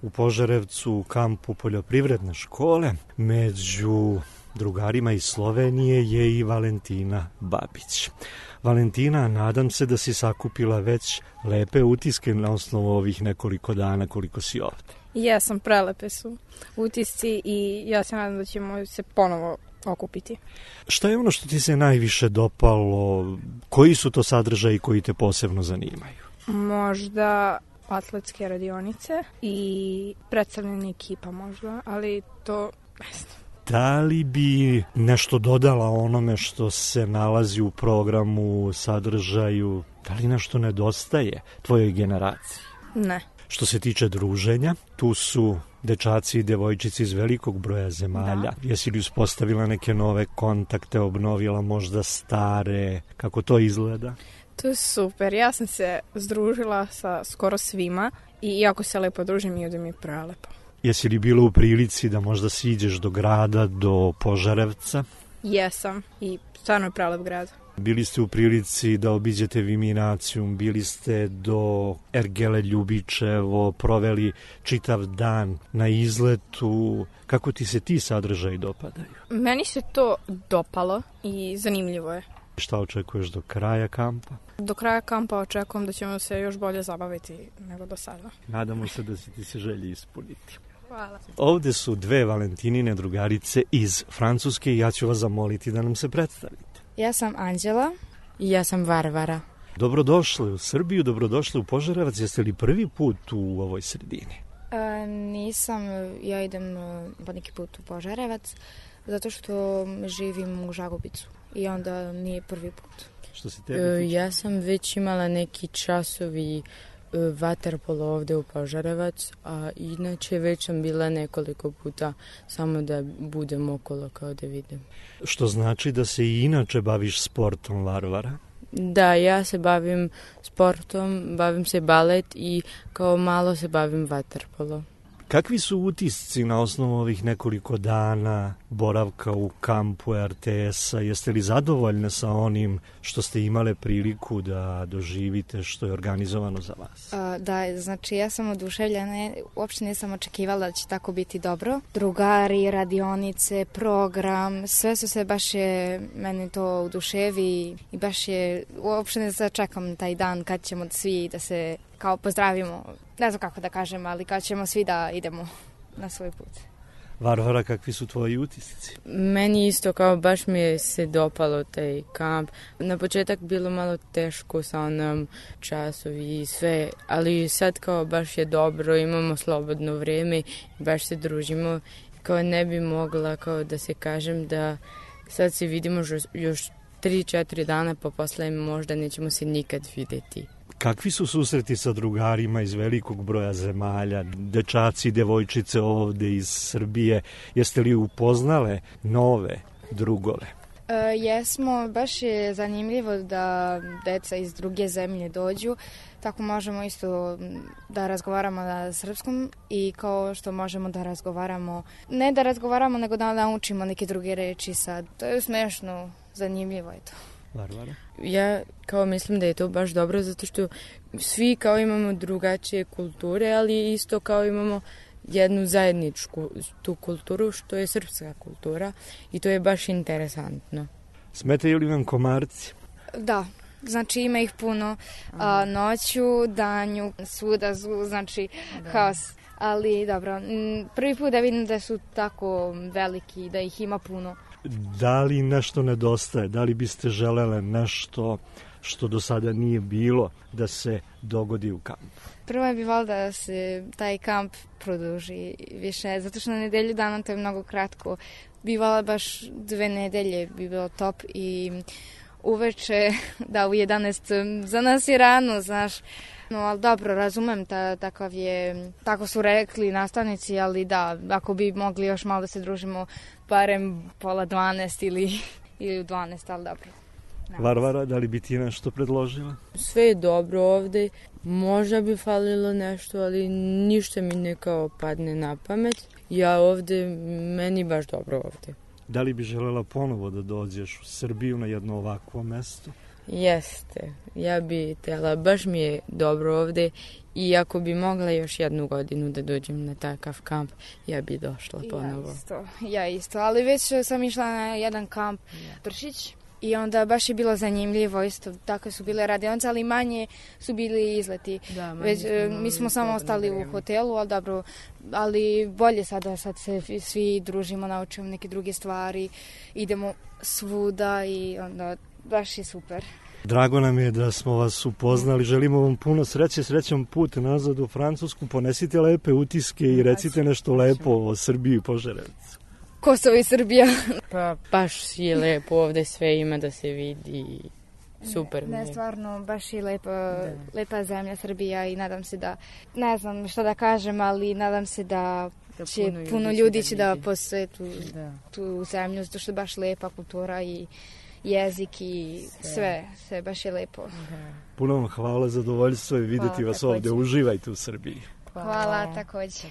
u Požarevcu u kampu poljoprivredne škole. Među drugarima iz Slovenije je i Valentina Babić. Valentina, nadam se da si sakupila već lepe utiske na osnovu ovih nekoliko dana koliko si ovde. Jesam, prelepe su utisci i ja se nadam da ćemo se ponovo okupiti. Šta je ono što ti se najviše dopalo? Koji su to sadržaji koji te posebno zanimaju? Možda atletske radionice i predstavljanje ekipa možda, ali to ne znam. Da li bi nešto dodala onome što se nalazi u programu, sadržaju? Da li nešto nedostaje tvojoj generaciji? Ne. Što se tiče druženja, tu su dečaci i devojčici iz velikog broja zemalja. Da. Jesi li uspostavila neke nove kontakte, obnovila možda stare? Kako to izgleda? To je super. Ja sam se združila sa skoro svima i jako se lepo družim i ovde mi je prelepo. Jesi li bila u prilici da možda siđeš do grada, do Požarevca? Jesam i stvarno je prelep grad. Bili ste u prilici da obiđete Viminacijum, bili ste do Ergele Ljubičevo, proveli čitav dan na izletu. Kako ti se ti sadržaji dopadaju? Meni se to dopalo i zanimljivo je. Šta očekuješ do kraja kampa? Do kraja kampa očekujem da ćemo se još bolje zabaviti nego do sada. Nadamo se da će ti se želje ispuniti. Hvala. Ovde su dve Valentinine drugarice iz Francuske i ja ću vas zamoliti da nam se predstavite. Ja sam Anđela. I ja sam Varvara. Dobrodošli u Srbiju, dobrodošli u Požarevac. Jeste li prvi put u ovoj sredini? Nisam, ja idem po neki put u Požarevac, zato što živim u Žagubicu i onda nije prvi put. Što se tebi tiče? Ja sam već imala neki časovi vaterpolo ovde u Požarevac, a inače već sam bila nekoliko puta samo da budem okolo kao da vidim. Što znači da se i inače baviš sportom, Varvara? Da, ja se bavim sportom, bavim se balet i kao malo se bavim vaterpolo. Kakvi su utisci na osnovu ovih nekoliko dana boravka u kampu RTS-a? Jeste li zadovoljne sa onim što ste imale priliku da doživite, što je organizovano za vas? Da, znači ja sam oduševljena, uopšte nisam očekivala da će tako biti dobro. Drugari, radionice, program, sve su se baš je, meni to oduševi i baš je, uopšte ne čekam taj dan kad ćemo svi da se kao pozdravimo, ne znam kako da kažem, ali kad ćemo svi da idemo na svoj put. Varvara, kakvi su tvoji utisci? Meni isto kao baš mi je se dopalo taj kamp. Na početak bilo malo teško sa onom časovi i sve, ali sad kao baš je dobro, imamo slobodno vreme, baš se družimo. Kao ne bi mogla kao da se kažem da sad se vidimo još 3-4 dana, pa posle možda nećemo se nikad videti. Kakvi su susreti sa drugarima iz velikog broja zemalja, dečaci i devojčice ovde iz Srbije? Jeste li upoznale nove drugove? Jesmo, baš je zanimljivo da deca iz druge zemlje dođu, tako možemo isto da razgovaramo na srpskom i kao što možemo da razgovaramo, ne da razgovaramo, nego da naučimo neke druge reči sad. To je smešno, zanimljivo je to. Varvara? Ja kao mislim da je to baš dobro zato što svi kao imamo drugačije kulture, ali isto kao imamo jednu zajedničku tu kulturu što je srpska kultura i to je baš interesantno. Smetaju li vam komarci? Da, znači ima ih puno noću, danju, svuda, znači haos. Ali dobro, prvi put da vidim da su tako veliki, da ih ima puno. Da li nešto nedostaje? Da li biste želele nešto što do sada nije bilo da se dogodi u kampu? Prvo bi volila da se taj kamp produži više, zato što na nedelju dana to je mnogo kratko. Bi volila baš 2 nedelje, bi bilo top i uveče, da u 11, za nas je rano, znaš. No, ali dobro, razumem, takav je, tako su rekli nastavnici, ali da, ako bi mogli još malo da se družimo, barem pola 12 ili u 12, ali dobro. Varvara, da li bi ti nešto predložila? Sve je dobro ovde, možda bi falilo nešto, ali ništa mi ne kao padne na pamet. Ja ovde, meni baš dobro ovde. Da li bi želela ponovo da dođeš u Srbiju na jedno ovakvo mesto? Jeste, ja bi htjela, baš mi je dobro ovde i ako bi mogla još jednu godinu da dođem na takav kamp, ja bi došla ponovo. Ja isto, ali već sam išla na jedan kamp Pršić i onda baš je bilo zanimljivo, isto tako su bile radionice, ali manje su bili izleti. Da, mi smo samo ostali u hotelu, ali dobro, ali bolje sad se svi družimo, naučimo neke druge stvari, idemo svuda i onda baš je super. Drago nam je da smo vas upoznali, želimo vam puno sreće, srećan put nazad u Francusku, ponesite lepe utiske i recite nešto lepo o Srbiji i Požarevcu. Kosovo i Srbija. Pa baš je lepo, ovde sve ima da se vidi, super mi je. Ne, stvarno, baš je lepa zemlja Srbija i nadam se da, ne znam šta da kažem, ali nadam se da će puno ljudi će da posjetu tu zemlju, zato što je baš lepa kultura i jezik i sve baš je lepo. Puno vam hvala, zadovoljstvo je vidjeti vas ovde, uživajte u Srbiji. Hvala također.